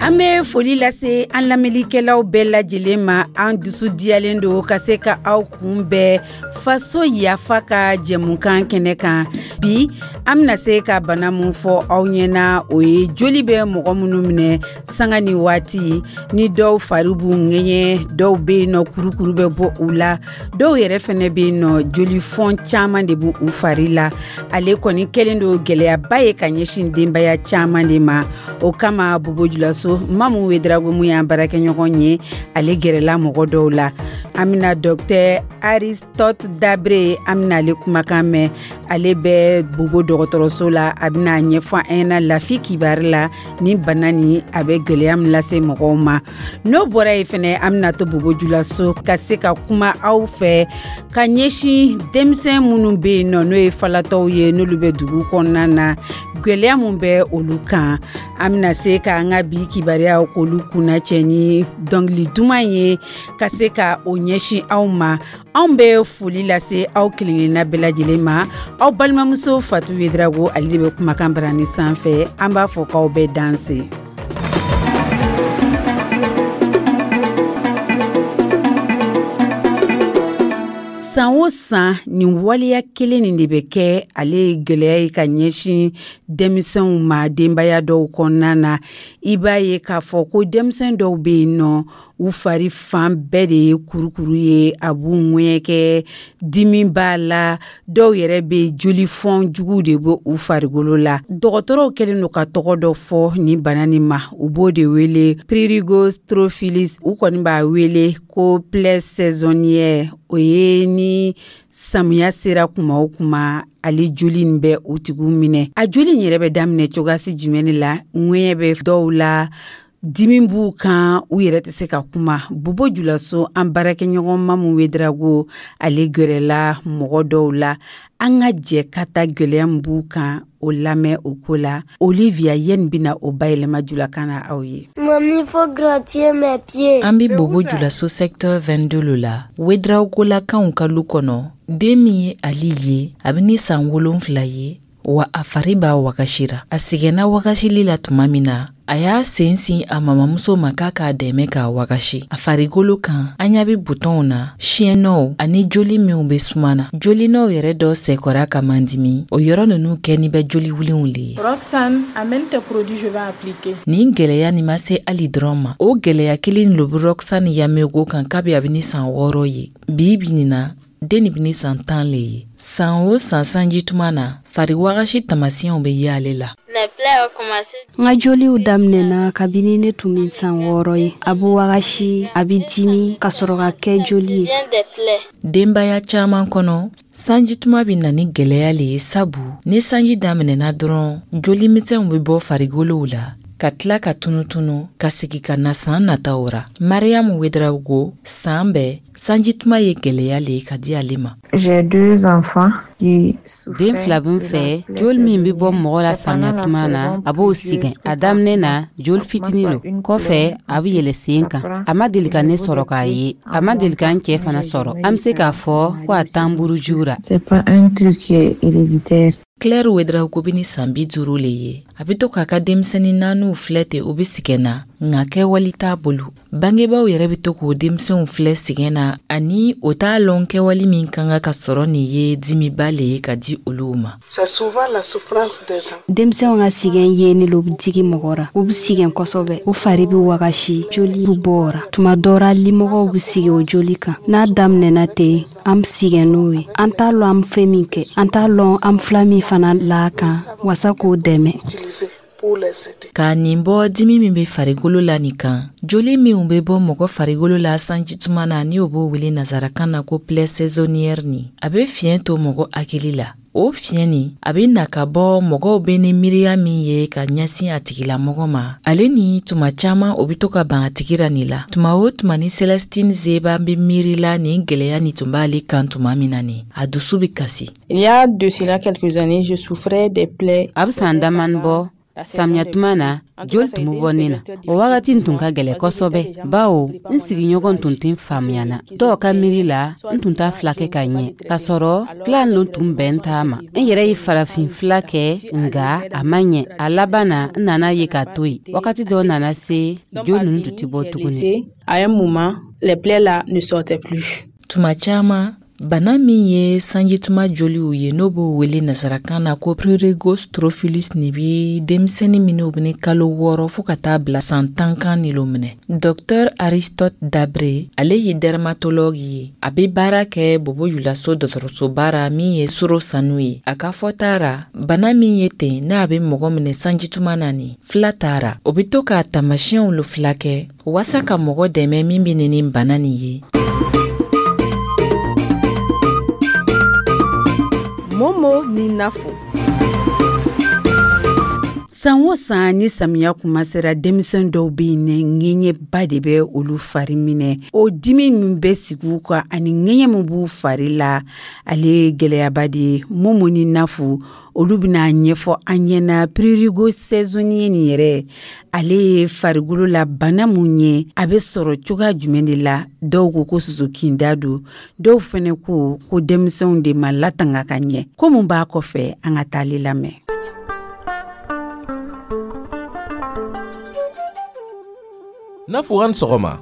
An bɛ foli lase an lamɛnlikɛlaw bɛɛ lajɛlen ma. An dusu diyalen don ka se ka aw kunbɛn Faso Yafa ka jɛmukan kɛnɛ kan. Bi, an bɛna se ka bana min fɔ aw ɲɛna, o ye joli bɛ mɔgɔ minnu minɛ sanga ni waati ni dɔw fari b'u ŋɛɲɛ, dɔw bɛ yen nɔ, kurukuru bɛ bɔ u la, dɔw yɛrɛ fɛnɛ bɛ yen nɔ, joli fɔn caman de b'u u fari la. Ale kɔni kɛlen don gɛlɛyaba ye ka ɲɛsin denbaya caman de ma. O kama, Bobo Julaso, Mamu Wedarago, mun y'an baarakɛɲɔgɔn ye, ale gɛrɛla mɔgɔ dɔw la. An bɛna Docteur Aristote Dabre, an bɛna ale kumakan mɛn. Ale bɛ Bobo dɔgɔtɔrɔso la. A bɛna ɲɛfɔ an ɲɛna lafi kibari la ni bana ni a bɛ gɛlɛya min lase mɔgɔw ma. N'o bɔra yen fɛnɛ, an bɛna to Bobo Julaso ka se ka kuma aw fɛ ka ɲɛsin denmisɛn minnu bɛ yen nɔ, n'o ye falatɔw ye, n'olu bɛ dugu kɔnɔna na, gɛlɛya mun bɛ olu kan. An bɛna se k'an ka bi kibaruyaw k'olu kunna cɛ ni dɔnkili duman ye ka se ka o ɲɛsin aw ma. Anw bɛ foli lase aw kelenkelenna bɛɛ lajɛlen ma. Aw balimamuso Fatu Wedarago, ale de bɛ kumakan barani sanfɛ. An b'a fɔ k'aw bɛɛ danse. San o san, nin waleya kelen nin de bɛ kɛ. Ale ye gɛlɛya ye ka ɲɛsin denmisɛnw ma denbaya dɔw kɔnɔna na. I b'a ye k'a fɔ ko denmisɛn dɔw bɛ yen nɔ, u fari fan bɛɛ de ye kurukuru ye, a b'u ŋɛɲɛkɛ, dimi b'a la, dɔw yɛrɛ bɛ joli fɔn jugu de bɛ u farikolo la. Dɔgɔtɔrɔw kɛlen don ka tɔgɔ dɔ fɔ nin bana nin ma, u b'o de wele prurigo strophilus. U kɔni b'a wele ko plaie saisonnière. O ye ni samiya sera kuma o kuma, ale joli nin bɛ o tigiw minɛ. A joli in yɛrɛ bɛ daminɛ cogoyasi jumɛn de la? Ŋɛɲɛ bɛ dɔw la, dimi b'u kan, u yɛrɛ tɛ se ka kuma. Bobo Julaso, an baarakɛɲɔgɔn Mamu Wedarago, ale gɛrɛla mɔgɔ dɔw la. An ka jɛ ka ta gɛlɛya min b'u kan, o lamɛn. O ko la, Olivia Yen bɛna o bayɛlɛma julakan na aw ye. Mamie, faut gratter mes pieds. An bɛ Bobo Julaso secteur 22 lo la, Wedragolakaw ka lu kɔnɔ. Den min ye Ali ye, a bɛ ni san 7 ye wa, a fari b'a wagasira. A sɛgɛnna wagasili la tuma min na, a y'a sen sin a mamamuso ma k'a k'a dɛmɛ k'a wagasi. A farikolo kan, an ɲa bɛ butɔnw na, siɲɛnɔw ani joli minw bɛ suma na. Jolinɔw yɛrɛ dɔ sɛkɔra ka mandimi, o yɔrɔ ninnu kɛni bɛ joli wulenw le ye. Roxane, amène tes produits, je vais appliquer. Nin gwɛlɛya nin ma se Ali dɔrɔn ma. O gwɛlɛya kelen lo bɛ Roxane Yamego kan kabi a bɛ ni san 6 ye. Bi bi nin na, den nin bɛ ni san 10 le ye. San o san, sanji tuma na, fari wagasi taamasiyɛnw bɛ ye ale la. N ka joliw daminɛna kabini ne tun bɛ san 6 ye. A bɛ wagasi, a bɛ dimi ka sɔrɔ ka kɛ joli ye. Denbaya caman kɔnɔ, sanji tuma bɛ na ni gwɛlɛya le ye, sabu ni sanji daminɛna dɔrɔn, joli misɛnw bɛ bɔ farikolow la ka tila ka tunutunu ka segi ka na san nataw ra. Mariyamu Wedrago, san bɛɛ sanji tuma ye gwɛlɛya le ye ka di ale ma. Den fila bɛ n fɛ. Joli min bɛ bɔ mɔgɔ la samiya tuma na, a b'o sigɛn. A daminɛ na, joli fitini lo, kɔfɛ a bɛ yɛlɛ sen kan. A ma deli ka ne sɔrɔ k'a ye, a ma deli ka n cɛ fana sɔrɔ. An bɛ se k'a fɔ ko a t'an buruju ra. Claire Wedrago bɛ ni san 50 le ye. A bɛ to k'a ka denmisɛnnin naaniw filɛ ten, u bɛ sigɛn na, nka kɛwali t'a bolo. Bangebaaw yɛrɛ bɛ to k'o denmisɛnw filɛ sigɛn na ani o t'a lɔn kɛwali min ka kan ka sɔrɔ nin ye dimiba le ye ka di olu ma. Denmisɛnw ka sigɛn ye lo bɛ digi mɔgɔ ra. U bɛ sigɛn kosɛbɛ, u fari bɛ wagasi, joli bɛ bɔ o ra. Tuma dɔ ra, limɔgɔw bɛ sigi o joli kan. N'a daminɛna ten, an bɛ sigɛn n'o ye. An t'a lɔn an bɛ fɛn min kɛ, an t'a lɔn an fila min fana la kan wasa k'o dɛmɛ. Ka nin bɔ dimi min bɛ farikolo la nin kan, joli minw bɛ bɔ mɔgɔ farikolo la sanji tuma na, ni o b'o wele nazarakan na ko plaie saisonnière nin, a bɛ fiɲɛ to mɔgɔ hakili la. O fiɲɛ nin, a bɛ na ka bɔ mɔgɔw bɛ ni miiriya min ye ka ɲɛsin a tigilamɔgɔ ma, ale ni tuma caman o bɛ to ka ban a tigi ra nin la. Tuma o tuma ni Celestine Zeba bɛ miiri la nin gwɛlɛya nin tun b'ale kan tuma min na nin, a dusu bɛ kasi. Il y a de cela quelques années, je souffrais des plaies. A bɛ san damani bɔ. Samiya tuma na, joli tun bɛ bɔ ne na. O wagati tun ka gɛlɛn kosɛbɛ, bawo n sigiɲɔgɔn tun tɛ faamuya na. Dɔw ka miiri la, n tun t'a filakɛ ka ɲɛ, k'a sɔrɔ fila lo tun bɛn t'a ma. N yɛrɛ ye farafin fila kɛ, nka a ma ɲɛ. A laban na, n nana ye k'a to yen. Wagati dɔ nana se, joli ninnu tun tɛ bɔ tuguni. À un moment, les plaies là ne sortaient plus. Tuma caman, bana min ye sanjituma joliw ye, n'o b'o wele nasarakan na ko prurigo scrofulous, nin bi denmisɛnnin minnu bɛ ni kalo 6 fɔɔ ka taa bila san 10 kan ni lo minɛ. Dr Aristote Dabre, ale ye dermatologue ye, a bɛ baara kɛ Bobo Julaso dɔgɔtɔrɔsoba ra min ye Soro Sanu ye. A ka fɔta ra, bana min ye ten n'a bɛ mɔgɔ minɛ sanjituma na, nin fila tara, o bɛ to k'a taamasiyɛnw lo fila kɛ waasa ka mɔgɔ dɛmɛ min bɛ nin bana nin ye. Momo ni Nafo. San o san ni samiya kuma sera, denmisɛn dɔw bɛ yen, ŋɛɲɛba de bɛ olu fari minɛ. O dimi min bɛ sigi u kan ani ŋɛɲɛ min b'u fari la, ale ye gɛlɛyaba de ye. Momo ni Nafo, olu bɛna ɲɛfɔ an ɲɛna prurigo saisonnier nin yɛrɛ, ale ye farikolo la bana mun ye, a bɛ sɔrɔ cogoya jumɛn de la. Dɔw ko ko soso kinda don, dɔw fɛnɛ ko ko denmisɛnw de ma latanga ka ɲɛ. Ko mun b'a kɔfɛ, an ka taale lamɛn. Nafo, an sɔgɔma.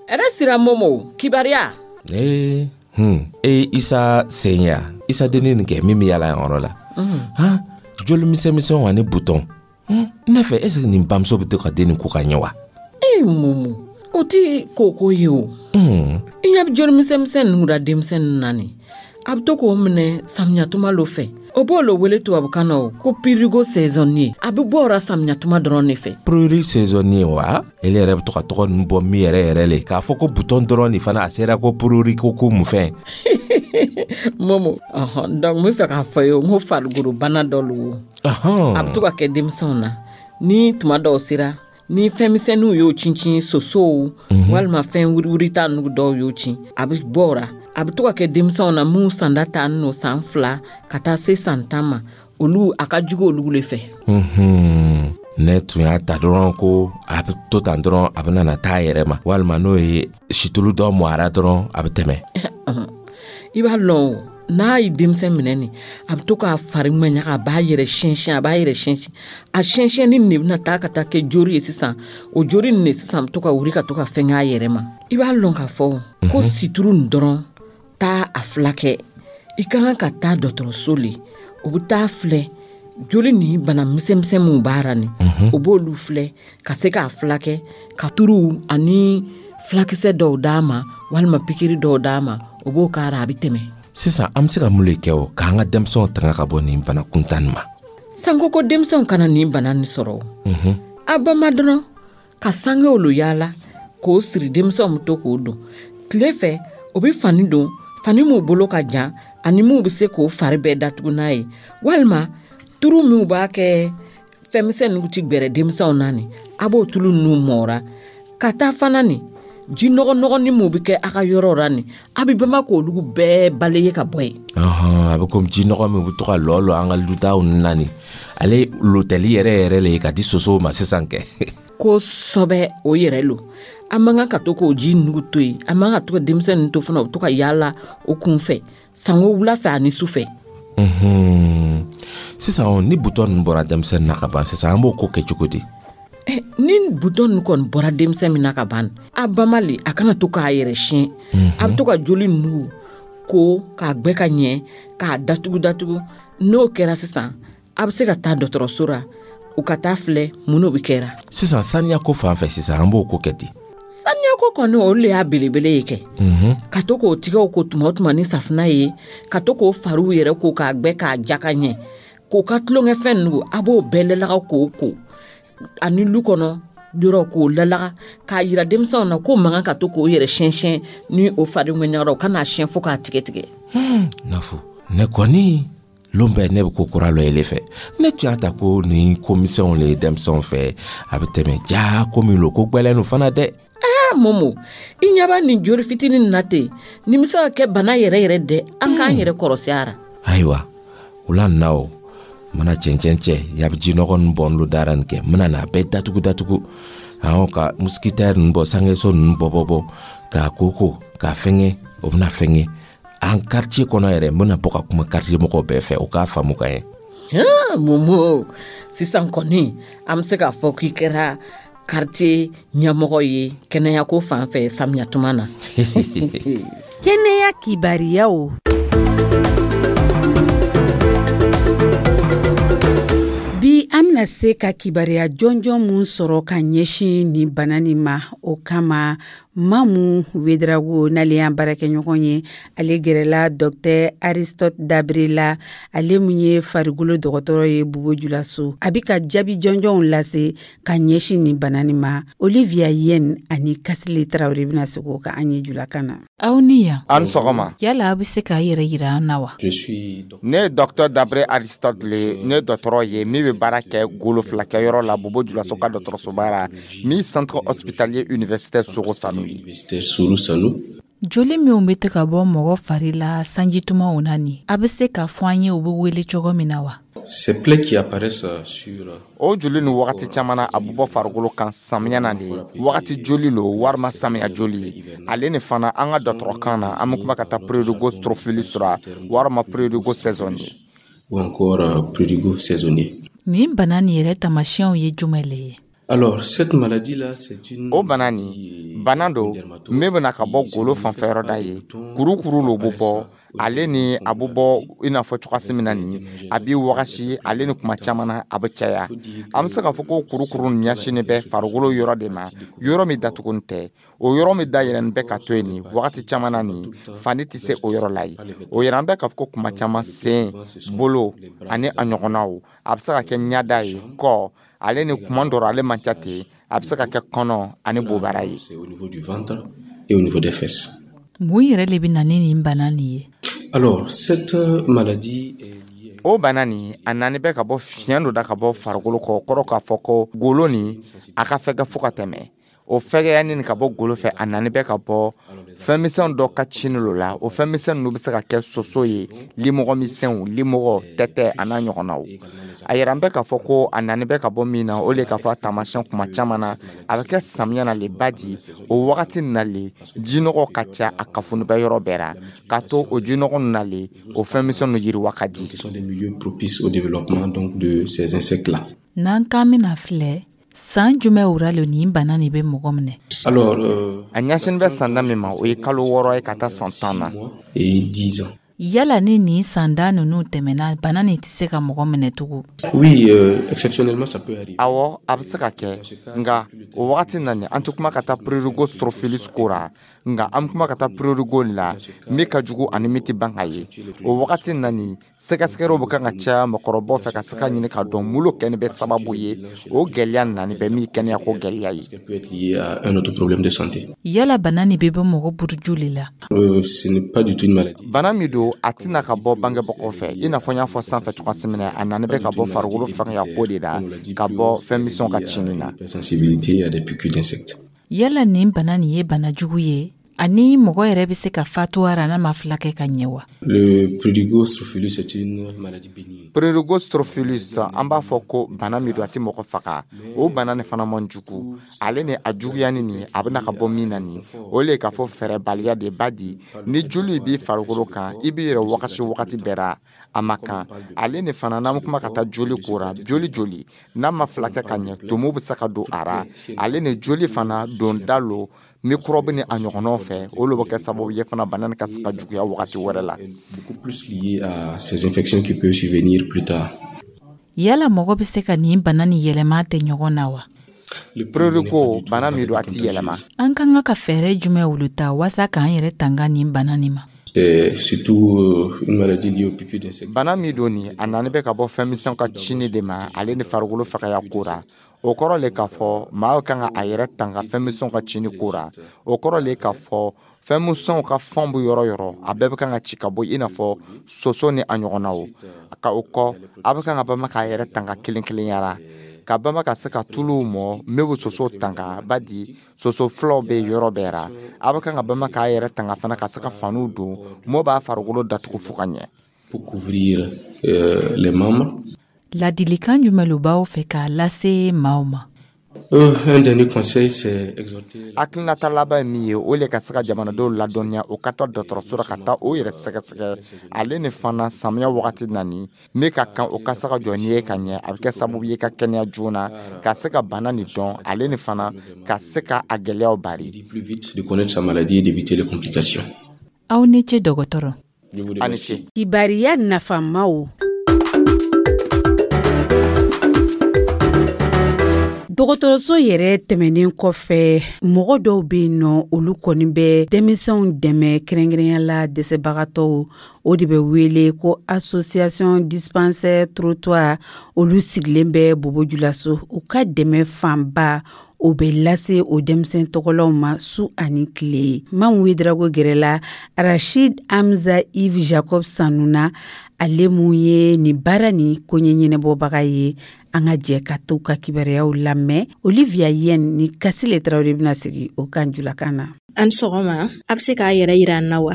Ɛrɛ sira Momo, kibariya. Ee, e Isa senya, Isa denni nin kɛ min bɛ yala yan yɔrɔ la. Han, joli misɛnmisɛnw ani butɔn. Ne fɛ, est ce que nin bamuso bɛ to ka den nin ko ka ɲɛ wa? Ee Momo, o ti koko ye o. I ɲɛ bɛ joli misɛnmisɛn ninnu da denmisɛnnin na nin. A bɛ to k'o minɛ samiyatuma lo fɛ. O b'o lo wele tubabukan na o ko prurigo saisonnier. A bɛ bɔ o la samiyatuma dɔrɔn de fɛ. Prurigo saisonnier wa? Ele yɛrɛ bɛ to ka tɔgɔ ninnu bɔ min yɛrɛ yɛrɛ le k'a fɔ ko butɔn dɔrɔn nin fana a sera ko prurigo ko mun fɛn. Momo, ɔhɔn, donc n bɛ fɛ k'a fɔ ye n ko farikolo bana dɔ lo. A bɛ to ka kɛ denmisɛnw na ni tuma dɔw sera, ni fɛn misɛnninw y'o cincin, sosow walima fɛn wuriwurita ninnu dɔw y'o cin, a bɛ bɔ o la. A bɛ to ka kɛ denmisɛnw na minnu sanda ta n'o san 2 ka taa se san 10 ma, olu a ka jugu olu le fɛ. Ne tun y'a ta dɔrɔn ko a bɛ to tan dɔrɔn, a bɛ na taa a yɛrɛ ma, walima n'o ye situlu dɔ mɔ a la dɔrɔn, a bɛ tɛmɛ. I b'a lɔn o, n'a ye denmisɛn minɛ nin, a bɛ to k'a fari ŋɛɲaga, a b'a yɛrɛ siɲɛsiɲɛ, a b'a yɛrɛ siɲɛsiɲɛ. A siɲɛsiɲɛni nin de bɛna taa ka taa kɛ jori ye sisan. O jori nin de sisan bɛ to ka wuli ka to ka fɛn k'a yɛrɛ ma. I b'a lɔn k'a fɔ ko situru nin dɔrɔn taa a filakɛ. I ka kan ka taa dɔgɔtɔrɔso le, o bɛ taa filɛ joli ni bana misɛnmisɛn minnu b'a ra nin, o b'olu filɛ ka se k'a filakɛ, ka turu ani filakisɛ dɔw d'a ma walima pikiri dɔw d'a ma, o b'o k'a ra, a bɛ tɛmɛ. Sisan an bɛ se ka mun le kɛ o k'an ka denmisɛnw tanga ka bɔ nin bana kuntan nin ma? Sanko ko denmisɛnw kana nin bana nin sɔrɔ o. A bama dɔrɔn ka sangew lo yaala k'o siri, denmisɛnw bɛ to k'o don tile fɛ, o bɛ fani don, fani m'u bolo ka jan ani m'u bɛ se k'o fari bɛɛ datugu n'a ye, walima turu minw b'a kɛ fɛnmisɛn ninnu ti gbɛrɛ denmisɛnw na nin, a b'o tulu ninnu mɔra ka taa fana nin ji nɔgɔ nɔgɔni min bɛ kɛ a ka yɔrɔ la nin, a bɛ bama k'olu bɛɛ balayer ka bɔ yen. A bɛ komi ji nɔgɔ min bɛ to ka lɔ lɔ an ka lutaw ninnu na nin, ale lotɛli yɛrɛ yɛrɛ le ye ka di sosow ma sisan kɛ. Kosɛbɛ, o yɛrɛ lo. An man kan ka to k'o ji nugu to yen, an man kan ka to ka denmisɛnnin to fana, u bɛ to ka yaala o kun fɛ sanko wula fɛ ani su fɛ. Sisan ni butɔn ninnu bɔra denmisɛnnin na ka ban sisan, an b'o ko kɛ cogo di? Ni butɔn ninnu kɔni bɔra denmisɛn min na ka ban, a bama le, a kana to k'a yɛrɛ siɲɛ. A bɛ to ka joli ninnu ko k'a gbɛ ka ɲɛ k'a datugu datugu. N'o kɛra sisan, a bɛ se ka taa dɔgɔtɔrɔso la, u ka taa filɛ mun n'o bɛ kɛra. Sisan saniya ko fan fɛ sisan, an b'o ko kɛ di? Saniya ko kɔni, o le y'a belebele ye kɛ. Ka to k'o tigɛw ko tuma o tuma ni safunɛ ye, ka to k'o fariw yɛrɛ ko k'a gbɛ k'a ja ka ɲɛ, k'o ka tulonkɛfɛn ninnu, a b'o bɛɛ lalaga k'o ko ani lu kɔnɔ yɔrɔ k'o lalaga, k'a yira denmisɛnw na k'o man kan ka to k'o yɛrɛ siɲɛsiɲɛ ni o fari ŋɛɲɛra, o kana siɲɛ fo k'a tigɛ tigɛ. Nafo, ne kɔni lon bɛɛ ne bɛ ko kura lɔ ele fɛ. Ne tun y'a ta ko nin ko misɛnw le ye denmisɛnw fɛ, a bɛ tɛmɛ ja ko min lo, ko gbɛlɛn lo fana dɛ. Momo, i ɲɛ b'a nin joli fitinin na ten, nin bɛ se ka kɛ bana yɛrɛ yɛrɛ dɛ, an k'an yɛrɛ kɔrɔsi a ra. Ayiwa, o la na o, N bɛna cɛncɛn cɛ yabi jinɔgɔ ninnu bɔn lo dara nin kɛ, n bɛna n'a bɛɛ datugu datugu, awɔ, ka moustiquaire ninnu bɔ, sangeso ninnu bɔ bɔ bɔ, k'a koko k'a fɛngɛ. O bɛna fɛngɛ an quartier kɔnɔ yɛrɛ. N bɛna bɔ ka kuma quartier mɔgɔw bɛɛ fɛ, u k'a faamu ka ɲɛ. Momo, sisan kɔni an bɛ se k'a fɔ k'i kɛra quartier ɲɛmɔgɔ ye kɛnɛyako fan fɛ samiya tuma na. Kɛnɛya kibariyaw. Bi, an bɛna se ka kibaruya jɔnjɔn mun sɔrɔ ka ɲɛsin nin bana nin ma, o kama Mamu Wedrago, n'ale y'an baarakɛɲɔgɔn ye, ale gɛrɛla Dr Aristote Dabre la, ale mun ye farikolo dɔgɔtɔrɔ ye Bobo Julaso. A bɛ ka jaabi jɔnjɔnw lase ka ɲɛsin nin bana nin ma. Olivia Yen ani Kasile Tarawele bɛna segin o kan an ye julakan na. Aw ni yan. An sɔgɔma. Yala aw bɛ se k'a yɛrɛ yira an na wa? Ne ye Dr Dabre Aristote le, ne dɔgɔtɔrɔ ye min bɛ baara kɛ golo filakɛyɔrɔ la Bobo Julaso ka dɔgɔtɔrɔsoba la, min Centre hospitalier universitaire Soro Sanu ye. Joli minw bɛ to ka bɔ mɔgɔ fari la sanjitumaw na nin, a bɛ se k'a fɔ an ye u bɛ wele cogo min na wa? O joli ni wagati caman na, a bɛ bɔ farikolo kan samiya na de, wagati joli lo walima samiya joli ye. Ale ni fana, an ka dɔgɔtɔrɔkan na, an bɛ kuma ka taa prurigo strophulus ra walima prurigo saisonnier. Ou encore prurigo saisonnier. Nin bana nin yɛrɛ taamasiyɛnw ye jumɛn le ye? Alors, cette maladie-là, c'est une O bana nin, bana don min bɛna ka bɔ golo fanfɛyɔrɔ da ye. Kurukuru lo bɛ bɔ ale ni a bɛ bɔ i n'a fɔ cogoya min na nin, a b'i wagasi ale ni kuma caman na, a bɛ caya. An bɛ se k'a fɔ ko kurukuru nin ɲɛsinnen bɛ farikolo yɔrɔ de ma, yɔrɔ min datugunin tɛ. O yɔrɔ min dayɛlɛnnen bɛ ka to yen nin, wagati caman na nin, fani tɛ se o yɔrɔ la yen. O yɛrɛ, an bɛ k'a fɔ ko kuma caman, sen, bolo ani a ɲɔgɔnnaw, a bɛ se ka kɛ ɲada ye, kɔ ale ni kuma dɔ ale man ca ten, a bɛ se ka kɛ kɔnɔ ani bobara ye. Au niveau du ventre et au niveau des fesses. Mun yɛrɛ de bɛ na ni nin bana nin ye? Alors, cette maladie est liée O bana nin, a nani bɛ ka bɔ fiɲɛ dɔ da ka bɔ farikolo kɔ, kɔrɔ k'a fɔ ko golo nin, a ka fɛgɛ fo ka tɛmɛ. O fɛgɛyani nin ka bɔ golo fɛ, a nani bɛ ka bɔ fɛnmisɛn dɔ ka cini lo la. O fɛnmisɛn ninnu bɛ se ka kɛ soso ye, limɔgɔ misɛnw, limɔgɔ, tɛtɛ a n'a ɲɔgɔnnaw. A yɛrɛ, an bɛ k'a fɔ ko a nani bɛ ka bɔ min na, o le k'a fɔ a taamasiyɛn kuma caman na, a bɛ kɛ samiya na le ba di. O wagati na le, jinɔgɔ ka ca, a kafoni bɛ yɔrɔ bɛɛ la, k'a to o jinɔgɔ ninnu na le, o fɛnmisɛn ninnu yiriwa ka di. Qui sont des milieux propices au développement donc de ces insectes-là. N'an k'an bɛna filɛ, san jumɛn ra lo nin bana nin bɛ mɔgɔ minɛ? Alors, A ɲɛsinin bɛ san da min ma, o ye kalo 6 ye ka taa san 10 na. Et 10 ans. Yala ni nin sanda ninnu tɛmɛna, bana nin tɛ se ka mɔgɔ minɛ tugun? Oui, exceptionnellement, ça peut arriver. Awɔ, a bɛ se ka kɛ, nka o wagati na nin, an tɛ kuma ka taa prurigo strophulus ko ra, nka an bɛ kuma ka taa prurigo la min ka jugu ani min tɛ ban ka ye. O wagati na nin, sɛgɛsɛgɛliw bɛ kan ka caya mɔgɔkɔrɔbaw fɛ ka se ka ɲini k'a dɔn mun lo kɛni bɛ sababu ye o gɛlɛya nani bɛ min kɛnɛya ko gɛlɛya ye. Ça peut être lié à un autre problème de santé. Yala bana nin bɛ bɔ mɔgɔ buruju le la? Ce n'est pas du tout une maladie. Bana min don, a tɛna ka bɔ bangebagaw fɛ. I n'a fɔ n y'a fɔ sanfɛ cogoya min na, a nani bɛ ka bɔ farikolo fɛngɛya ko de la, ka bɔ fɛn misɛnw ka cini na. Sensibilité à des piqûres d'insectes. Yala nin bana nin ye bana jugu ye ani mɔgɔ yɛrɛ bɛ se ka fatu a ra n'a ma filakɛ ka ɲɛ wa? Le prurigo strophulus est une maladie bénigne. Prurigo strophulus, an b'a fɔ ko bana min don, a tɛ mɔgɔ faga. O bana nin fana man jugu. Ale ni a juguyani nin, a bɛna ka bɔ min na nin, o le k'a fɔ fɛɛrɛbaliya de ba di. Ni joli b'i farikolo kan, i b'i yɛrɛ wagasi wagati bɛɛ ra, a ma kan. Ale ni fana, n'an bɛ kuma ka taa joli ko ra, joli joli n'a ma filakɛ ka ɲɛ, tumu bɛ se ka don a ra. Ale ni joli fana don da lo microbe ni a ɲɔgɔnnaw fɛ, o le bɛ kɛ sababu ye fana bana nin ka se ka juguya wagati wɛrɛ la. Beaucoup plus lié à ces infections qui peuvent survenir plus tard. Yala mɔgɔ bɛ se ka nin bana nin yɛlɛma tɛ ɲɔgɔn na wa? Prurigo, bana min don, a ti yɛlɛma. An ka kan ka fɛɛrɛ jumɛn olu ta waasa k'an yɛrɛ tanga nin bana nin ma? C'est surtout une maladie liée aux piqûres d'insectes. Bana min don nin, a nani bɛ ka bɔ fɛn misɛnw ka cini de ma, ale ni farikolo fagaya ko ra. O kɔrɔ le k'a fɔ maa kan ka a yɛrɛ tanga fɛn misɛnw ka cini ko ra. O kɔrɔ le k'a fɔ fɛn misɛnw ka fɛnw bɛ yɔrɔ yɔrɔ, a bɛɛ bɛ kan ka ci ka bɔ, i n'a fɔ soso ni a ɲɔgɔnnaw. Ka o kɔ, a bɛ kan ka bama k'a yɛrɛ tanga kelen kelenya ra, ka bama ka se ka tuluw mɔ min bɛ soso tanga ba di. Soso filaw bɛ yɔrɔ bɛɛ ra. A bɛ kan ka bama k'a yɛrɛ tanga fana ka se ka faniw don mɔ b'a farikolo datugu fo ka ɲɛ. Pour couvrir les membres. Ladilikan jumɛn lo b'aw fɛ k'a lase maaw ma? Un dernier conseil, c'est exhorter Hakilinata laban ye min ye, o le ka se ka jamanadenw ladɔnniya, o ka taa dɔgɔtɔrɔso la ka taa o yɛrɛ sɛgɛsɛgɛ. Ale ni fana, samiya wagati nani min ka kan, o ka se ka jɔ n'i ye ka ɲɛ, a bɛ kɛ sababu ye ka kɛnɛya joona, ka se ka bana nin dɔn, ale ni fana ka se ka a gɛlɛyaw bari. Plus vite de connaître sa maladie et d'éviter les complications. Aw ni ce, dɔgɔtɔrɔ. A ni ce. Kibariya nafamaw. Dɔgɔtɔrɔso yɛrɛ tɛmɛnen kɔfɛ, mɔgɔ dɔw bɛ yen nɔ, olu kɔni bɛ denmisɛnw dɛmɛ, kɛrɛnkɛrɛnya la dɛsɛbagatɔw. O de bɛ wele ko Association Dispensaire Trottoir. Olu sigilen bɛ Bobo Julaso. U ka dɛmɛ fanba, o bɛ lase o denmisɛn tɔgɔlaw ma su ani tile. Mamu Wedrago gɛrɛla Rachid Hamza Yves Jacob Sanuna, ale mun ye nin baara ni koɲɛ ɲɛnɛbɔbaga ye. An ka jɛ ka to ka kibaruyaw lamɛn. Olivia Yen ni Kasile Tarawele bɛna sigi o kan julakan na. An sɔgɔma, a bɛ se k'a yɛrɛ yira an na wa?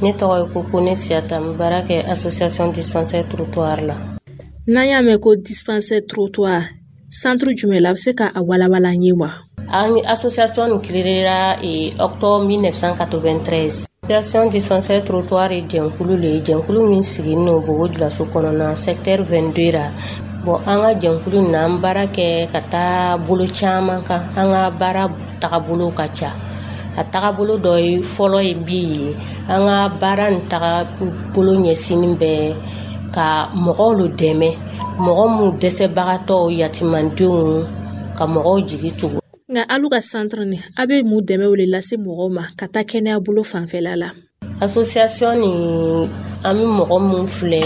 Ne tɔgɔ ye ko ne Siyata, n bɛ baara kɛ Association Dispensaire Trottoir la. N'an y'a mɛn ko Dispensaire Trottoir, centre jumɛn la, a bɛ se k'a walawala an ye wa? An association nin créera octobre 1993. Association Dispensaire Trottoir ye jɛnkulu le ye, jɛnkulu min sigilen don Bobo Julaso kɔnɔna, secteur 22 ra. Bon, an ka jɛnkulu nin na, an baara kɛ ka taa bolo caman kan. An ka baara tagabolo ka ca. A tagabolo dɔ ye fɔlɔ ye min ye, an ka baara nin tagabolo ɲɛsinin bɛ ka mɔgɔw lo dɛmɛ, mɔgɔ minnu dɛsɛbagatɔw, yatimandenw, ka mɔgɔw jigi tugu. Nka alu ka centre nin, a bɛ mun dɛmɛ o le lase mɔgɔw ma ka taa kɛnɛya bolo fanfɛla la? Association nin, an bɛ mɔgɔ minnu filɛ,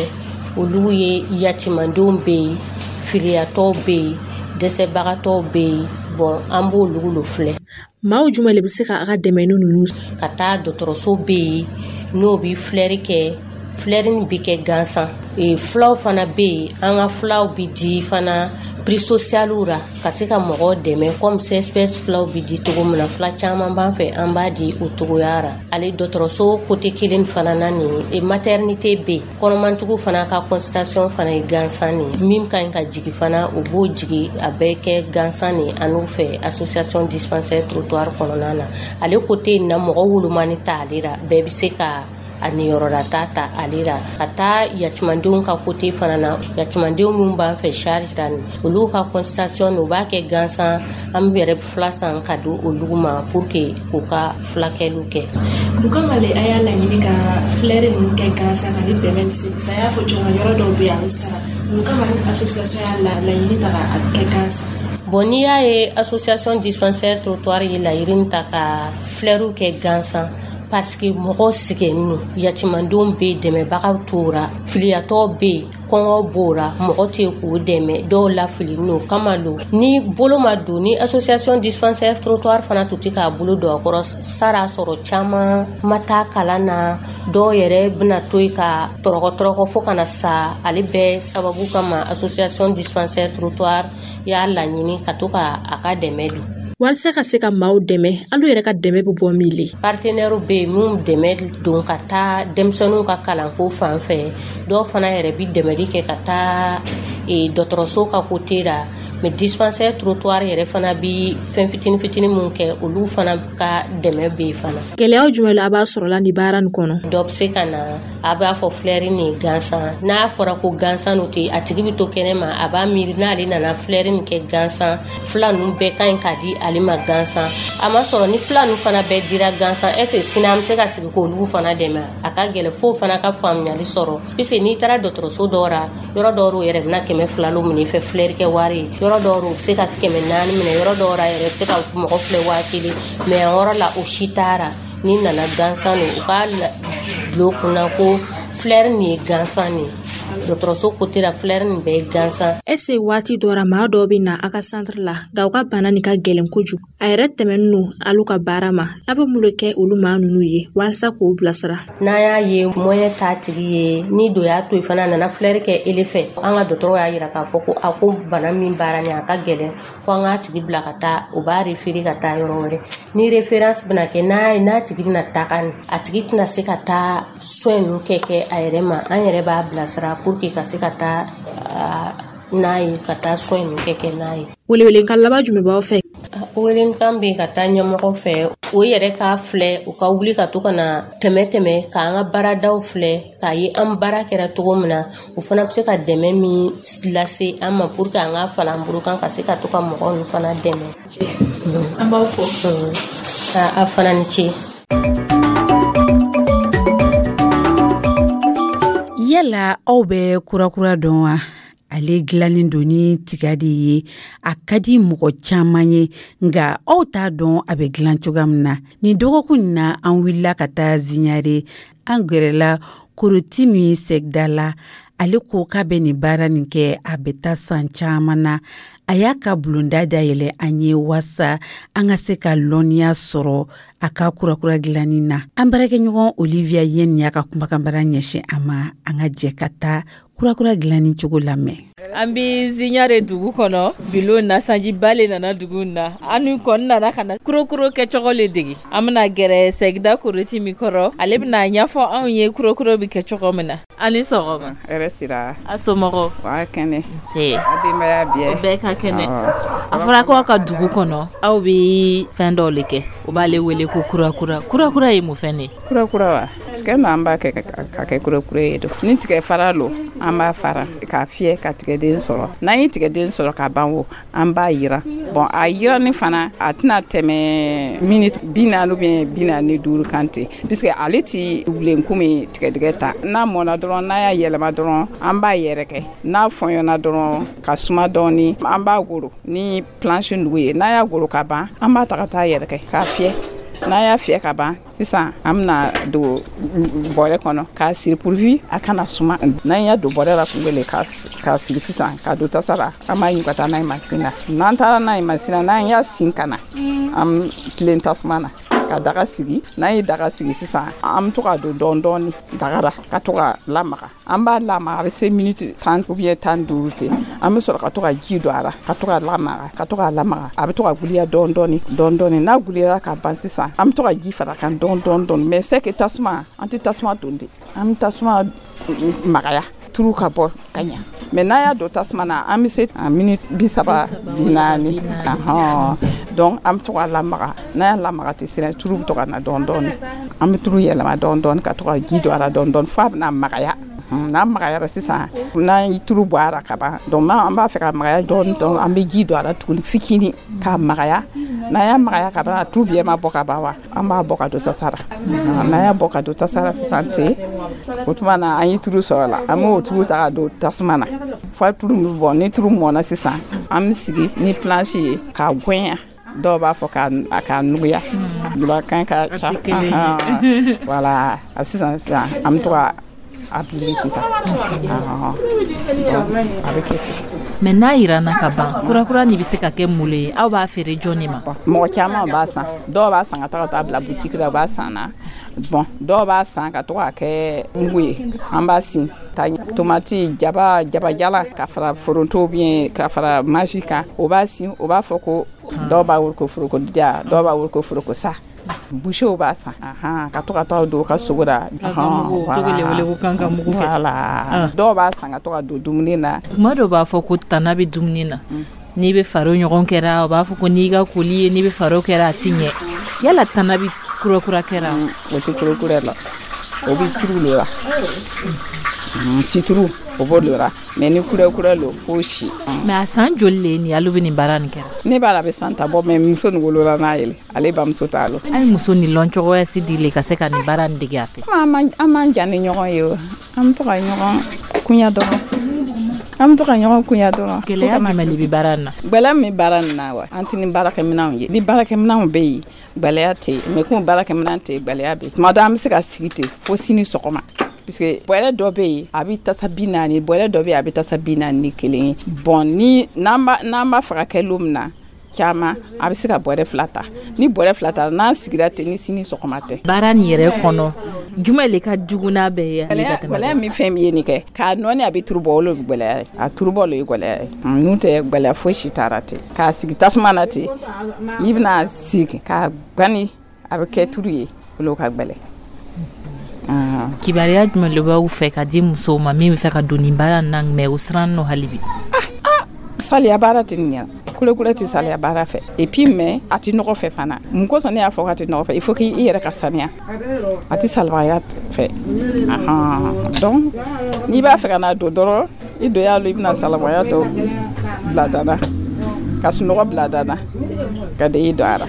olu ye yatimandenw bɛ yen, filiyatɔw bɛ yen, dɛsɛbagatɔw bɛ yen. Bon, an b'olu lo filɛ. Maaw jumɛn le bɛ se ka a ka dɛmɛni ninnu? Ka taa dɔgɔtɔrɔso bɛ yen, n'o bɛ filɛri kɛ, filɛri nin bɛ kɛ gansan. Fulaw fana bɛ yen, an ka fulaw bɛ di fana prix sociaux ra, ka se ka mɔgɔw dɛmɛ, comme CSPS fulaw bɛ di cogo min na. Fula caman b'an fɛ, an b'a di o cogoya ra. Ale dɔgɔtɔrɔso côté kelen fana na nin, maternité bɛ yen, kɔnɔmantigiw fana ka consultation fana ye gansan nin, min ka ɲi ka jigin fana, o b'o jigin, a bɛɛ kɛ gansan nin an n'u fɛ Association Dispensaire Trottoir kɔnɔna na. Ale côté in na, mɔgɔ wolomani t'ale ra, bɛɛ bɛ se ka a niyɔrɔla ta ta ale la. Ka taa yatimandenw ka côté fana na, yatimandenw minnu b'an fɛ charge la nin, olu ka consultation, u b'a kɛ gansan. An bɛ yɛrɛ fila san ka di olu ma pour que k'u ka fulakɛliw kɛ. Mun kama le a y'a laɲini ka filɛri ninnu kɛ gansan ka ni dɛmɛ se? A y'a fɔ cogo min, yɔrɔ dɔw bɛ yen, a bɛ sara. Mun kama ni association y'a laɲini ta k'a kɛ gansan? Bon, n'i y'a ye Association Dispensaire Trottoir ye laɲini ta ka filɛriw kɛ gansan, parce que mɔgɔw sɛgɛnnen don. Yatimandenw bɛ yen, dɛmɛbagaw t'o ra, filiyatɔw bɛ yen, kɔngɔ b'o ra, mɔgɔ tɛ k'u dɛmɛ, dɔw lafilinen don kama lo. Ni bolo ma don, ni Association Dispensaire Trottoir fana tun tɛ k'a bolo don a kɔrɔ, sara sɔrɔ caman ma taa kalan na, dɔw yɛrɛ bɛna to yen ka tɔrɔkɔ tɔrɔkɔ fo kana sa. Ale bɛɛ sababu kama, Association Dispensaire Trottoir y'a laɲini ka to ka a ka dɛmɛ don. Walasa ka se ka maaw dɛmɛ, alu yɛrɛ ka dɛmɛ bɛ bɔ min le? Partenaires bɛ yen minnu dɛmɛ don ka taa denmisɛnninw ka kalanko fan fɛ. Dɔw fana yɛrɛ bɛ dɛmɛli kɛ ka taa dɔgɔtɔrɔso ka côté la. Mais Dispensaire Trottoir yɛrɛ fana bi fɛn fitinin fitinin mun kɛ, olu fana ka dɛmɛ bɛ yen fana. Gɛlɛyaw jumɛn la a b'a sɔrɔ la nin baara nin kɔnɔ? Dɔ bɛ se ka na, a b'a fɔ filɛri nin gansan. N'a fɔra ko gansan n'o tɛ, a tigi bɛ to kɛnɛ ma, a b'a miiri n'ale nana filɛri nin kɛ gansan, fila ninnu bɛɛ ka ɲi k'a di ale ma gansan. A ma sɔrɔ ni fila ninnu fana bɛɛ dira gansan, est ce que sini an bɛ se ka sigi k'olu fana dɛmɛ? A ka gɛlɛn f'o fana ka faamuyali sɔrɔ, puisque n'i taara dɔgɔtɔrɔso dɔw la, yɔrɔ dɔw yɛrɛ bɛna 200 lo minɛ i fɛ filɛri kɛ wari ye, yɔrɔ dɔw u bɛ se ka 400 minɛ, yɔrɔ dɔw la yɛrɛ bɛ se ka mɔgɔ filɛ 1000. Mais yan yɔrɔ la, o si taara n'i nana gansan nin, u k'a bila u kunna ko filɛri nin ye gansan nin, dɔgɔtɔrɔso côté la, filɛri nin bɛɛ ye gansan. Est ce que waati dɔ ra, maa dɔw bɛ na a ka centre la, nka u ka bana nin ka gɛlɛn kojugu, a yɛrɛ tɛmɛnen don alu ka baara ma, a bɛ mun de kɛ olu maa ninnu ye walasa k'o bilasira? N'an y'a ye moyen t'a tigi ye, ni dɔ y'a to yen fana, a nana filɛri kɛ ele fɛ, an ka dɔgɔtɔrɔ y'a yira k'a fɔ ko a ko bana min baara nin, a ka gɛlɛn, fo an k'a tigi bila ka taa, o b'a référé ka taa yɔrɔ wɛrɛ. Ni référence bɛna kɛ, n'a ye n'a tigi bɛna taga nin, a tigi tɛna se ka taa soin ninnu kɛ a yɛrɛ ma, an yɛrɛ b'a bilasira pour que ka se ka taa. n'a ye, ka taa soin ninnu kɛ n'a ye. Welewelekan laban jumɛn b'aw fɛ? Welewelekan bɛ ka taa ɲɛmɔgɔ fɛ, o yɛrɛ k'a filɛ, u ka wuli ka to ka na tɛmɛ k'an ka baaradaw filɛ, k'a ye an baara kɛra cogo min na, u fana bɛ se ka dɛmɛ min lase an ma pour que an ka fara an bolo kan ka se ka to ka mɔgɔw ninnu fana dɛmɛ. An b'aw fo. A fana ni ce. Yala aw bɛ kurakura dɔn wa? Ale dilannen don ni tiga de ye, a ka di mɔgɔ caman ye, nka aw t'a dɔn a bɛ dilan cogoya min na. Nin dɔgɔkun in na, an wulila ka taa Ziɲare, an gɛrɛla Koroti min sɛgida la. Ale ko k'a bɛ nin baara nin kɛ, a bɛ taa san caman na. A y'a ka bulonda dayɛlɛ an ye waasa an ka se ka lɔnniya sɔrɔ a ka kurakura dilanni na. An baarakɛɲɔgɔn Olivia Yen y'a ka kumakanbara ɲɛsin a ma. An ka jɛ ka taa kurakura dilanni cogo lamɛn. An bɛ Ziɲare dugu kɔnɔ bilo na, sanjiba le nana dugu na, an kɔni nana ka na kurokuro kɛcogo le dege. An bɛna gɛrɛ Sɛgida Koroti min kɔrɔ, ale bɛna ɲɛfɔ anw ye kurokuro bɛ kɛ cogo min na. A ni sɔgɔma. Hɛrɛ sira. A somɔgɔw? Wa kɛnɛ. Nse. A denbaya bɛɛ? O bɛɛ ka kɛnɛ. A fɔra ko aw ka dugu kɔnɔ, aw bɛ fɛn dɔw le kɛ, o b'ale wele ko kurakura. Kurakura ye mun fɛn de ye? Kurakura wa? Tigɛ na an b'a kɛ ka kɛ kurakura ye don. Ni tigɛ fara lo, an b'a fara k'a fiyɛ ka tigɛden sɔrɔ. N'an ye tigɛden sɔrɔ ka ban wo, an b'a yiran. Bon, a yiranni fana, a tɛna tɛmɛ minute 40 ou bien 45 kan ten, puisque ale ti wulen komi tigɛdɛgɛ ta. N'a mɔna dɔrɔn, n'a y'a yɛlɛma dɔrɔn, an b'a yɛrɛkɛ. N'a fɔɲɔna dɔrɔn ka suma dɔɔni, an b'a goro ni planche nugu ye. N'a y'a goro ka ban, an b'a ta ka taa yɛrɛkɛ k'a fiyɛ. N'a y'a fiyɛ ka ban sisan, an bɛna don bɔrɛ kɔnɔ k'a siri pourvu a kana suma. N'an y'a don bɔrɛ la kun kelen k'a siri sisan, k'a don tasa la, an b'a ɲu ka taa n'a ye mansin na. N'an taara n'a ye mansin na, n'an y'a sin ka na, an tilen tasuma na ka daga sigi. N'an ye daga sigi sisan, an bɛ to ka don dɔɔni dɔɔni daga la ka to ka lamaga. An b'a lamaga, a bɛ se minute 10 ou bien 15 ten. An bɛ sɔrɔ ka to ka ji don a la ka to ka lamaga, ka to ka lamaga. A bɛ to ka guliya dɔɔni dɔɔni dɔɔni dɔɔni. N'a guliyara ka ban sisan, an bɛ to ka ji fara kan dɔɔni dɔɔni dɔɔni. Mais c'est que tasuma, an tɛ tasuma don de, an bɛ tasuma magaya turu ka bɔ ka ɲa. Mais n'a y'a don tasuma na, an bɛ se minute 30 40. Donc an bɛ to ka lamaga. N'a y'a lamaga ten sisan, turu bɛ to ka na dɔɔni dɔɔni. An bɛ turu yɛlɛma dɔɔni dɔɔni ka to ka ji don a la dɔɔni dɔɔni fo a bɛna magaya. N'a magayara sisan, n'an ye turu bɔ a la ka ban, donc an b'a fɛ ka magaya dɔɔni dɔɔni, an bɛ ji don a la tuguni fitinin k'a magaya. N'an y'a magaya ka ban, a turu bɛɛ ma bɔ ka ban wa, an b'a bɔ ka don tasa la. N'an y'a bɔ ka don tasa la sisan ten, o tuma na an ye turu sɔrɔ la, an b'o turu ta ka don tasuma na fo turu bɛ bɔ. Ni turu mɔna sisan, an bɛ sigi ni planche ye k'a gɛnya. Dɔw b'a fɔ k'a nuguya, julakan ka ca. Voilà, sisan sisan an bɛ to ka a bili sisan, a bɛ kɛ ten. Mais n'a yiranna ka ban, kurakura nin bɛ se ka kɛ mun le ye? Aw b'a feere jɔn de ma? Mɔgɔ caman b'a san. Dɔw b'a san ka taa bila boutique la, u b'a san na. Bon, dɔw b'a san ka to k'a kɛ mugu ye, an b'a sin ta tomati, jaba, jabajala ka fara foronto bien ka fara maji kan, o b'a sin, o b'a fɔ ko dɔw b'a wele ko foroko diya, dɔw b'a wele ko foroko sa. Boucher b'a san ka to ka taa don u ka sogo la. Voilà, dɔw b'a san ka to ka don dumuni na. Kuma dɔw b'a fɔ ko tana bɛ dumuni na, n'i bɛ faro ɲɔgɔn kɛra, o b'a fɔ ko n'i ka koli ye, n'i bɛ faro kɛra, a ti ɲɛ. Yala tana bɛ kurakura kɛra? O tɛ kurakura la, o bɛ turu le la, situru o b'o le la. Mais ni kurakura lo, fo si. Mais a san joli le ni alu bɛ nin baara nin kɛra? Ne b'a la a bɛ san 10 bɔ, mais muso nin wolola n'a ye, ale bamuso t'a lo. A ye muso nin lɔn cogoya si di le ka se ka nin baara nin dege a fɛ? An man jan ni ɲɔgɔn ye o, an bɛ to ka ɲɔgɔn kunya dɔrɔn. An bɛ to ka ɲɔgɔn kunya dɔrɔn. Gɛlɛya jumɛn de bɛ baara nin na? Gɛlɛya min bɛ baara nin na wa, an tɛ ni baarakɛminɛnw ye. Ni baarakɛminɛnw bɛ yen, gɛlɛya tɛ yen. Mais komi baarakɛminɛn tɛ yen, gɛlɛya bɛ yen. Tuma dɔ an bɛ se ka sigi ten fo sini sɔgɔma. Puisque bɔrɛ dɔ bɛ yen, a bɛ tasa 40, bɔrɛ dɔ bɛ yen, a bɛ tasa 41 ye. Bon, ni n'an b'a fɛ ka kɛ lon min na caman, a bɛ se ka bɔrɛ 2 ta. Ni bɔrɛ 2 ta, n'an sigira ten, ni sini sɔgɔma tɛ. Baara nin yɛrɛ kɔnɔ, jumɛn le ka jugu n'a bɛɛ ye? Gɛlɛya min fɛn min ye nin kɛ k'a nɔɔni, a bɛ turu bɔ, o le bɛ gɛlɛya ye. A turu bɔ le ye gɛlɛya ye. N'o tɛ gɛlɛya fosi t'a la ten. K'a sigi tasuma na ten, i bɛna sigi k'a gani, a bɛ kɛ turu ye, o le ka gɛlɛn. Kibaruya jumɛn le b'aw fɛ ka di musow ma min bɛ fɛ ka don nin baara in na, mais u siran nɔ hali bi? Saliya baara tɛ nin ɲɛna, kulekule tɛ saliya baara fɛ, et puis mais a tɛ nɔgɔ fɛ fana. Mun kosɔn ne y'a fɔ k'a tɛ nɔgɔ fɛ? Il faut k'i yɛrɛ ka saniya, a tɛ salibagaya fɛ. Donc n'i b'a fɛ ka n'a don dɔrɔn, i don y'a lɔ, i bɛna salibagaya tɔ bila da la, ka sunɔgɔ bila da la, ka de i don a la.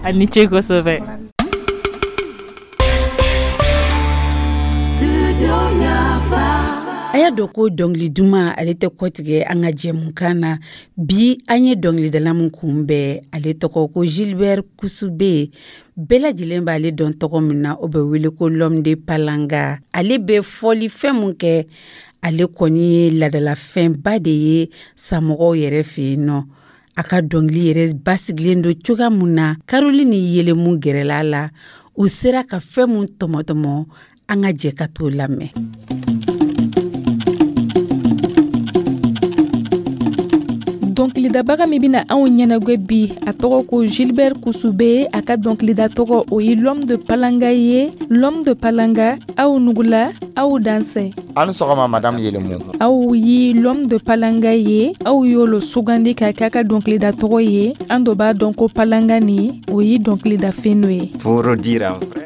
A ni ce kosɛbɛ. A y'a dɔn ko dɔnkili duman, ale tɛ kɔtigɛ an ka jɛmukan na. Bi, an ye dɔnkilidala min kunbɛn, ale tɔgɔ ko Gilbert Kusube. Bɛɛ lajɛlen b'ale dɔn tɔgɔ min na, o bɛ wele ko L'homme de Palanga. Ale bɛ fɔlifɛn mun kɛ, ale kɔni ye ladalafɛnba de ye samɔgɔw yɛrɛ fɛ yen nɔ. A ka dɔnkili yɛrɛ basigilen don cogoya mun na, Caroline Yelemu gɛrɛla la, u sera ka fɛn mun tɔmɔtɔmɔ, an ka jɛ ka t'o lamɛn. Dɔnkilidabaga min bɛna anw ɲɛnagwɛ bi, a tɔgɔ ko Gilbert Kusube. A ka dɔnkilida tɔgɔ, o ye L'homme de Palanga ye. L'homme de Palanga, aw nugula, aw dansɛ. Aw ni sɔgɔma, madame Yelemu. Aw ye L'homme de Palanga ye, aw y'o lo sugandi ka kɛ a ka dɔnkilida tɔgɔ ye. An dɔ b'a dɔn ko Palanga ni, o ye dɔnkilida fɛn dɔ ye.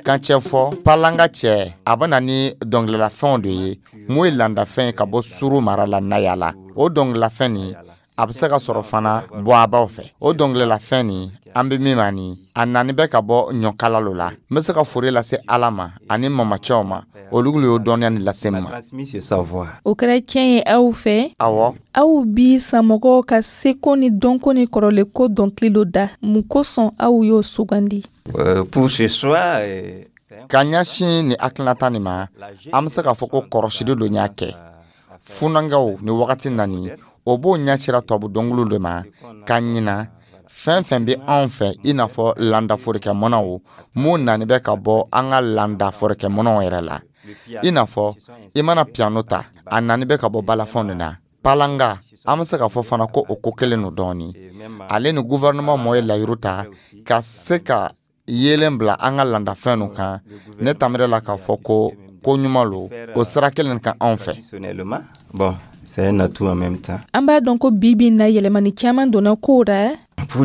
Kan cɛ fɔ Palanga cɛ, a bɛ na ni dɔnkililafɛnw de ye mun ye landafɛn ye ka bɔ Suru mara la Nayala. O dɔnkililafɛn nin, a bɛ se ka sɔrɔ fana Bɔabaw fɛ. O dɔnkililafɛn nin, an bɛ min ma nin, a nani bɛ ka bɔ ɲɔkala lo la. N bɛ se ka fori lase Ala ma ani mamacɛw ma, olu y'o dɔnniya nin lase n ma. O kɛra tiɲɛ ye aw fɛ? Awɔ. Aw bi samɔgɔw ka seko ni dɔnko ni kɔrɔlenko dɔnkili dɔ da, mun kosɔn aw y'o sugandi? Ka ɲɛsin nin hakilinata nin ma, an bɛ se k'a fɔ ko kɔrɔsili dɔ y'a kɛ funankɛw ni wagati nani, o b'o ɲɛsira tubabu dɔnkiliw de ma, ka ɲina fɛn fɛn bɛ anw fɛ, i n'a fɔ landa forokɛmɔnɔw mun nani bɛ ka bɔ an ka landa forokɛmɔnɔw yɛrɛ la. I n'a fɔ i mana piano ta, a nani bɛ ka bɔ balafɔn de na. Palanga, an bɛ se k'a fɔ fana ko o ko kelen don dɔɔni. Ale ni gouvernement mɔ ye layiru ta ka se ka yeelen bila an ka landafɛn nu kan. Ne tamira la k'a fɔ ko ko ɲuman lo o sira kelen kan anw fɛ. An b'a dɔn ko bi bi na, yɛlɛmani caman donna kow ra. Ka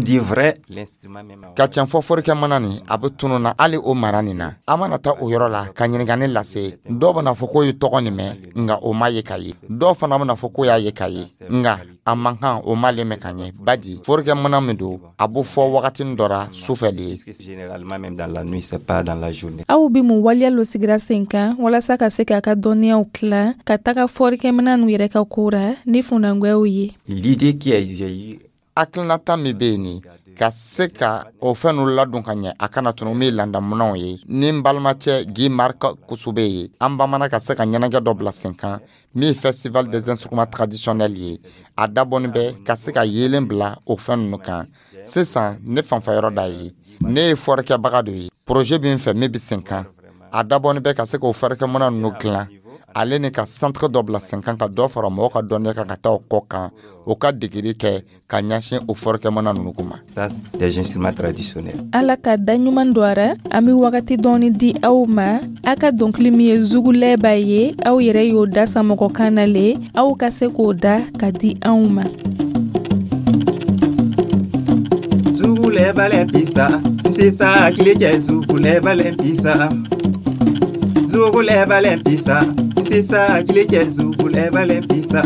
tiɲɛ fɔ, forokɛmana nin, a bɛ tunun na hali o mara nin na. An mana taa o yɔrɔ la ka ɲininkali lase, dɔw bɛna fɔ k'o ye tɔgɔ nin mɛn, nka o ma ye ka ye. Dɔw fana bɛna fɔ k'o y'a ye ka ye, nka a man kan o m'ale mɛn ka ɲɛ. Badi forokɛmana min don, a bɛ fɔ wagatinin dɔ ra sufɛ de ye. Aw bɛ mun waleya lo sigira sen kan walasa ka se k'a ka dɔnniyaw tila ka taga fɔlikɛminɛn nu yɛrɛ ka ko ra ni funankɛw ye? Hakilinata min bɛ yen nin, ka se ka o fɛn ninnu ladon ka ɲɛ, a kana tunu, min ye landamunanw ye, ni n balimacɛ Guy Marc Kusube ye, an bamana ka se ka ɲɛnajɛ dɔ bila sen kan min ye festival des instruments traditionnels ye. A dabɔnin bɛ ka se ka yeelen bila o fɛn ninnu kan. Sisan, ne fanfɛyɔrɔ da ye, ne ye fɔrikɛbaga dɔ ye. Projet bɛ n fɛ min bɛ sen kan, a dabɔnin bɛ ka se k'o fɔrikɛminɛn ninnu dilan, ale ni ka centre dɔ bila sen kan, ka dɔ fara mɔgɔw ka dɔnniya kan ka taa o kɔ kan, o ka degeli kɛ ka ɲɛsin o fɔrikɛminɛn ninnu ma. Ala ka da ɲuman don a ra. An bɛ wagati dɔɔni di aw ma. A ka dɔnkili min ye Zugulɛba ye, aw yɛrɛ y'o da samɔgɔkan na le, aw ka se k'o da ka di anw ma. Zugulɛba lɛ pisa, sisan tile cɛ, zugulɛba lɛ pisa. Zugulɛba lɛ pisa, sisan tile cɛ, zugulɛba lɛ pisa.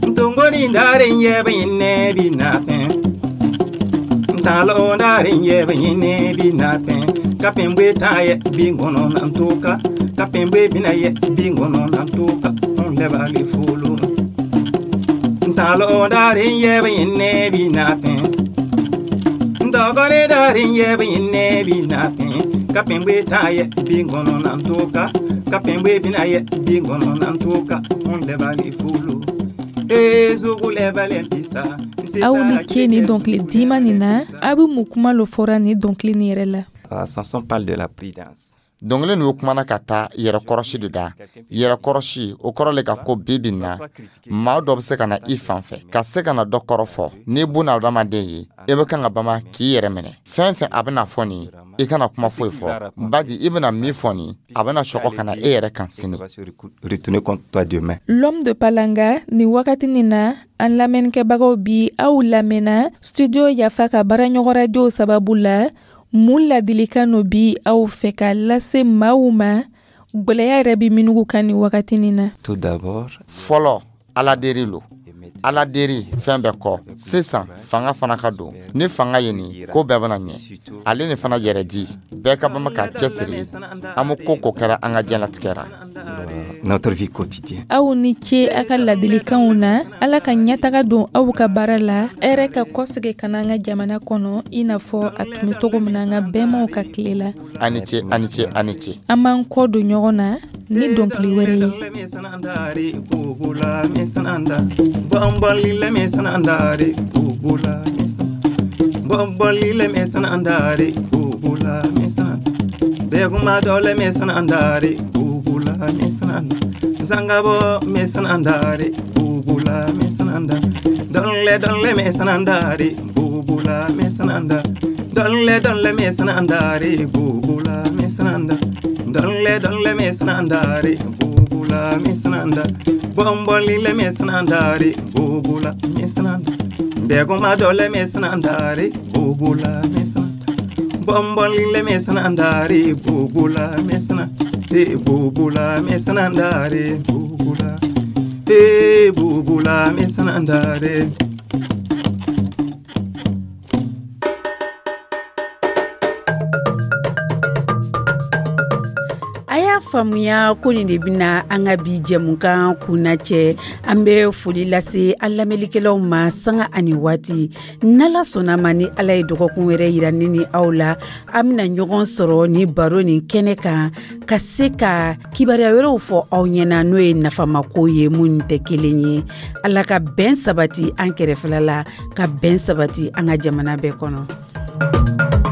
Ntongoni ndaren yɛbɛ ɲinɛ bi na fɛn. Ntalo ndaren yɛbɛ ɲinɛ bi na fɛn. Kapɛnbwe ta yɛ bi ngɔnɔ na ntoka. Kapɛnbwe bina yɛ bi ngɔnɔ na ntoka. N lɛba le folo. Ntalo ndaren yɛbɛ ɲinɛ bi na fɛn. Ntɔgɔni ndaren yɛbɛ ɲinɛ bi na fɛn. Kapɛnbwe ta yɛ bi ngɔnɔ na ntoka. Kapɛnbwe bina yɛ bi ngɔnɔ na ntoka. N lɛba le folo. Aw ni ce ni dɔnkili dima nin na. A bɛ mun kuma lo fɔra ni dɔnkili nin yɛrɛ la? Dɔnkili nin kumana ka taa yɛrɛkɔrɔsi de da. Yɛrɛkɔrɔsi, o kɔrɔ le ka ko bi bi na, maa dɔ bɛ se ka na i fan fɛ ka se ka na dɔ kɔrɔ fɔ. N'i buna adamaden ye, i bɛ kan ka bama k'i yɛrɛ minɛ. Fɛn fɛn a bɛna fɔ nin, i kana kuma foyi fɔ, badi i bɛna min fɔ nin, a bɛna sɔgɔ ka na e yɛrɛ kan sini. L'homme de Palanga, nin wagati nin na, an lamɛnnikɛbagaw bi aw lamɛnna studio Yafa ka baaraɲɔgɔn radiow sababu la. Mun ladilikan no bi aw fɛ ka lase maaw ma, gwɛlɛya yɛrɛ bi minugu kan nin wagati nin na? Tout d'abord, fɔlɔ, Ala deri lo. Ala deri fɛn bɛɛ kɔ. Sisan fanga fana ka don. Ni fanga ye nin ko bɛɛ bɛna ɲɛ. Ale ni fana yɛrɛ di, bɛɛ ka bama k'a cɛsiri. An bɛ ko ko kɛra an ka diɲɛlatigɛ ra. Notre vie quotidienne. Aw ni ce a ka ladilikanw na. Ala ka ɲɛtaga don aw ka baara la, hɛrɛ ka kɔsegi ka na an ka jamana kɔnɔ, i n'a fɔ a tun bɛ cogo min na an ka bɛnbaw ka tile la. A ni ce, a ni ce, a ni ce. An b'an kɔ don ɲɔgɔn na ni dɔnkili wɛrɛ ye. Zangabo mesanandare bubula mesananda donle donle mesanandare bubula mesananda donle donle mesanandare bubula mesananda donle donle mesanandare bubula mesananda bombolile mesanandare bubula mesananda beguma dole mesanandare bubula mesananda bombolile mesanandare bubula mesananda e bubula mesanandare bubula e bubula mesanandare. A y'a faamuya ko nin de bɛna an ka bi jɛmukan kunnacɛ. An bɛ foli lase an lamɛnlikɛlaw ma sanga ani waati. N'Ala sɔnna ma, ni Ala ye dɔgɔkun wɛrɛ yira ne ni aw la, an bɛna ɲɔgɔn sɔrɔ ni baro nin kɛnɛ kan ka se ka kibaruya wɛrɛw fɔ aw ɲɛna, n'o ye nafamako ye minnu tɛ kelen ye. Ala ka bɛn sabati an kɛrɛfɛla la, ka bɛn sabati an ka jamana bɛɛ kɔnɔ.